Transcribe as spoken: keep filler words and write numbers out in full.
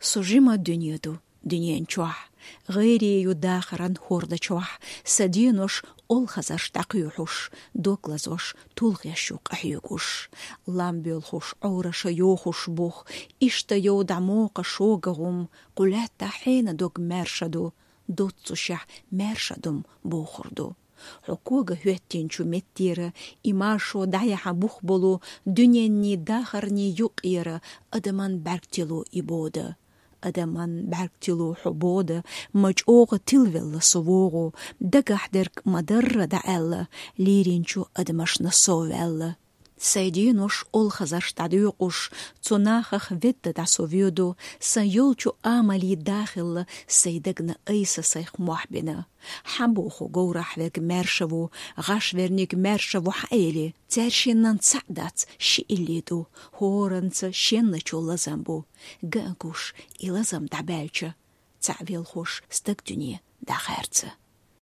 Со жима дуьне ду дуьнен чохь, гӀайре ю дахаран хӀордачохь, сан денош олхазарш дӀакхуьйхьуш, дог лазош тулгӀеш ю къахьоьгуш. Лам боьлхуш, Ӏораша йохуш бух, иштта йовдахь мокха шога гӀум, кху лаьттахь хьенан дог маьрша ду, доццушехь маьрша ду-м бохур ду. Хьо кога хӀоьттинчу меттера, и маршо дӀаяхьа бух болу, дуьненний дахарний юкъера адаман бӀаьрг тило и бода. Адаман бӀаьрг тило хьо бода, ма чӀогӀа тилвелла со вогӀу, дагахь дерг ма-дарра дӀааьлла, лийринчу адамашна сов ваьлла. Сайн денош олхазарш дӀадоькъуш, цу нахах ведда дӀа со воьду, сан йолчу амалий дахилла сайн дагна айса сайх мохь бина. Хьан боху говрахь верг маьрша ву, гӀаш верниг маьрша ву хьан эли? Цаьршиннан цхьаъ дац, ши илли ду, хӀоранца шенначул лазам бу. Гаан гуш, и лазам дӀабаьлча, цхьаъ велхуш стаг дуьне дӀахаьрца.